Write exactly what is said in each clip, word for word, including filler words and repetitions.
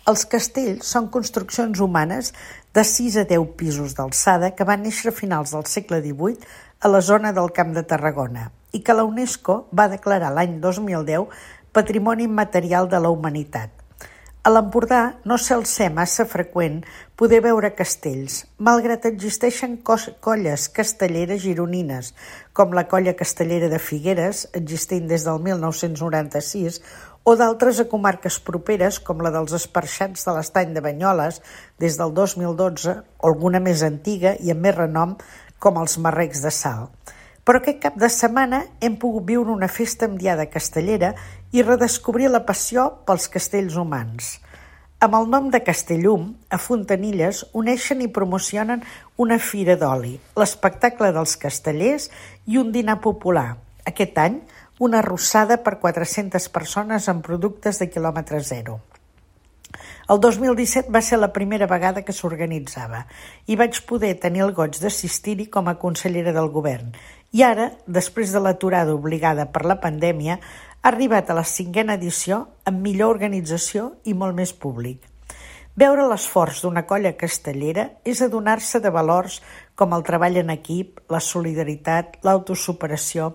Els castells són construccions humanes de sis a deu pisos d'alçada que van néixer a finals del segle divuit a la zona del Camp de Tarragona i que la UNESCO va declarar l'any dos mil deu Patrimoni Immaterial de la Humanitat. A l'Empordà no sol ser massa freqüent poder veure castells, malgrat existeixen colles castelleres gironines, com la Colla Castellera de Figueres, existint des del mil nou-cents noranta-sis, o d'altres a comarques properes, com la dels Esparxats de l'Estany de Banyoles, des del dos mil dotze, o alguna més antiga i amb més renom, com els Marrecs de Salt. Però aquest cap de setmana hem pogut viure una festa amb diada castellera i redescobrir la passió pels castells humans. Amb el nom de Castellum, a Fontanilles uneixen i promocionen una fira d'oli, l'espectacle dels castellers i un dinar popular. Aquest any, una arrossada per quatre-centes persones amb productes de quilòmetre zero. El dos mil disset va ser la primera vegada que s'organitzava i vaig poder tenir el goig d'assistir-hi com a consellera del govern. I ara, després de l'aturada obligada per la pandèmia, ha arribat a la cinquena edició amb millor organització i molt més públic. Veure l'esforç d'una colla castellera és adonar-se de valors com el treball en equip, la solidaritat, l'autosuperació,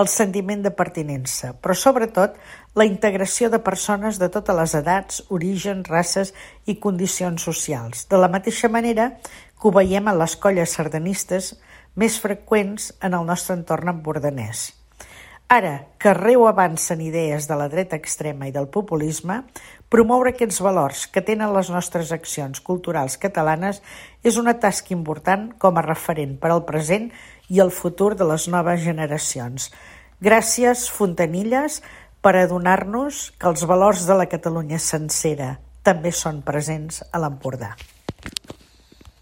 el sentiment de pertinença, però sobretot la integració de persones de totes les edats, orígens, races i condicions socials, de la mateixa manera que ho veiem en les colles sardanistes més freqüents en el nostre entorn empordanès. Ara que arreu avancen idees de la dreta extrema i del populisme, promoure aquests valors que tenen les nostres accions culturals catalanes és una tasca important com a referent per al present i el futur de les noves generacions. Gràcies, Fontanilles, per adonar-nos que els valors de la Catalunya sencera també són presents a l'Empordà.